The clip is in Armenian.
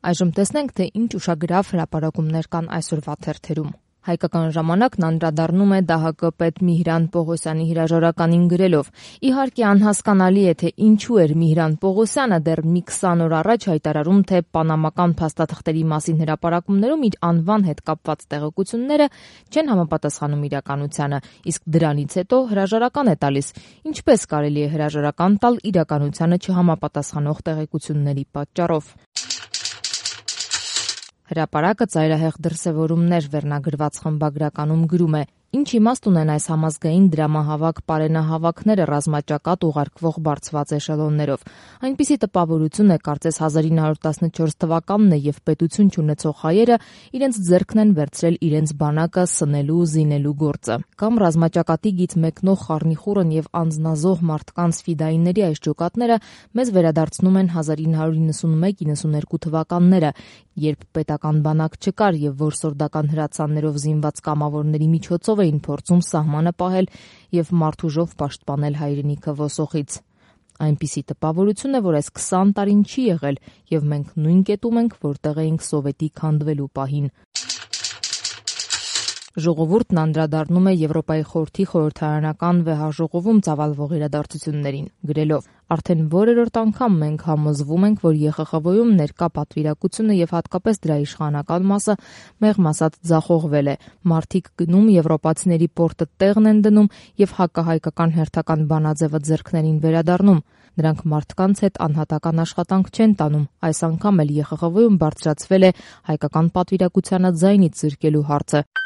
Այժմ տեսնենք, թե ինչ ուշագրավ հրապարակումներ կան այսօրվա թերթերում։ Հայկական ժամանակն անդրադառնում է ԴՀԿ պետ Միհրան Պողոսյանի հրաժարականին գրելով. «Իհարկե անհասկանալի է, թե ինչու էր Միհրան Պողոսյանը դեռ մի 20 օր առաջ հայտարարում, թե պանամական փաստաթղթերի մասին հրապարակումներում իր անվան հետ կապված տեղեկությունները չեն համապատասխանում իրականությանը, իսկ դրանից հետո հրաժարական է տալիս։ Ինչպես կարելի է հրաժարական տալ իրականությանը չհամապատասխանող տեղեկությունների պատճառով»։ Հրապարակը ծայրահեղ դրսևորումներ վերնագրված խմբագրականում գրում է. «Ինչ իմաստ ունեն այս համազգային դրամահավաք պարենահավաքները ռազմաճակատ ուղարկվող բարձված էշելոններով։ Այնպիսի տպավորություն է, կարծես 1914 թվականն է եւ պետություն չունեցող հայերը իրենց ձեռքն են վերցրել իրենց բանակը սնելու ու զինելու գործը։ Կամ ռազմաճակատի գիծ մեկնող խառնիխուռն եւ անձնազոհ մարդկանց ֆիդայինների այս ջոկատները մեզ վերադարձնում են 1991-92 թվականները, երբ պետական բանակ չկար եւ որսորդական հրացաններով զինված կամավորների միջոցով էին փորձում սահմանը պահել եւ մարդուժով պաշտպանել հայրենիքը ոսոխից։ Այնպիսի տպավորություն է, որ այս 20 տարին չի եղել եւ մենք նույն կետում ենք, որտեղ էինք սովետի քանդվելու պահին»։ Ժողովուրդն անդրադառնում է Եվրոպայի խորհրդի խորհրդարանական վեհաժողովում ծավալվող իրադարձություններին, գրելով. «Արդեն որերորդ անգամ մենք համոզվում ենք, որ ԵԽԽՎ-ում ներկա պատվիրակությունը եւ հատկապես դրա իշխանական մասը մեղմ ասած ձախողվել է։ Մարդիկ գնում, եվրոպացիների պորտը տեղն են դնում եւ հակահայկական հերթական բանաձևը ձեռքներին վերադառնում։ Նրանք մարդկանց հետ անհատական աշխատանք չեն տանում։ Այս անգամ էլ ԵԽԽՎ-ում բարձրացվել է հայկական պատվիրակությանը ձայնից զրկելու հարցը»։